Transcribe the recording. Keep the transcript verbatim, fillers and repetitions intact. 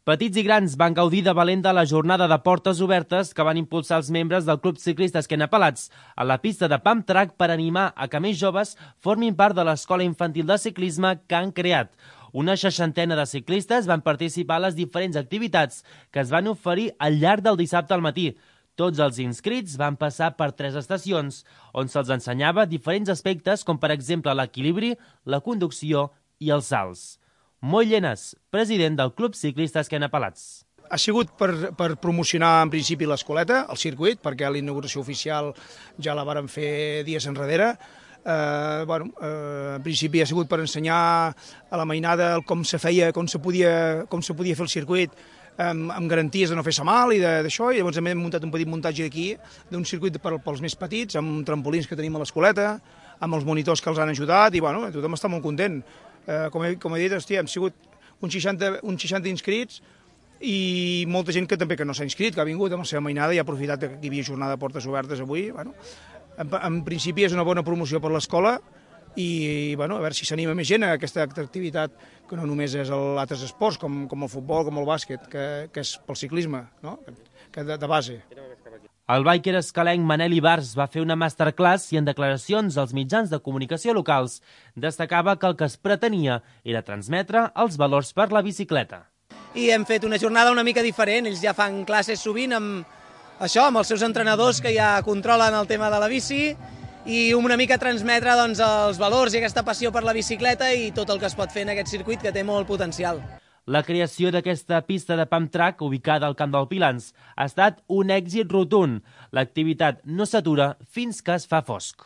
Petits i grans van gaudir de valent de la jornada de portes obertes que van impulsar els membres del Club Ciclista Esquena Pelats a la pista de Pump Track per animar a que més joves formin part de l'escola infantil de ciclisme que han creat. Una seixantena de ciclistes van participar a les diferents activitats que es van oferir al llarg del dissabte al matí. Tots els inscrits van passar per tres estacions, on se'ls ensenyava diferents aspectes com per exemple l'equilibri, la conducció i els salts. Moll Llenas, president del Club Ciclista Esquena Pelats. Ha sigut per, per promocionar en principi l'escoleta, el circuit, perquè l'inauguració oficial ja la vàrem fer dies enrere. Eh, bueno, eh, en principi ha sigut per ensenyar a la mainada com se feia, com se podia, com se podia fer el circuit amb, amb garanties de no fer-se mal i d'això, i llavors hem muntat un petit muntatge aquí d'un circuit per, pels més petits, amb trampolins que tenim a l'escoleta, amb els monitors que els han ajudat, i bueno, tothom està molt content. Eh, com, he, com he dit, hòstia, hem sigut uns seixanta, uns seixanta inscrits i molta gent que també que no s'ha inscrit, que ha vingut amb la seva mainada i ha aprofitat que hi havia jornada de portes obertes avui. Bueno, en, en principi és una bona promoció per l'escola i bueno, a veure si s'anima més gent a aquesta activitat que no només és altres esports com, com el futbol, com el bàsquet, que, que és pel ciclisme, no? que de, de base. El biker escalenc Manel Ibars va fer una masterclass i en declaracions als mitjans de comunicació locals destacava que el que es pretenia era transmetre els valors per la bicicleta. I hem fet una jornada una mica diferent, ells ja fan classes sovint amb això, amb els seus entrenadors que ja controlen el tema de la bici i una mica transmetre doncs, els valors i aquesta passió per la bicicleta i tot el que es pot fer en aquest circuit que té molt potencial. La creació d'aquesta pista de Pump Track, ubicada al Camp del Pilans, ha estat un èxit rotund. L'activitat no s'atura fins que es fa fosc.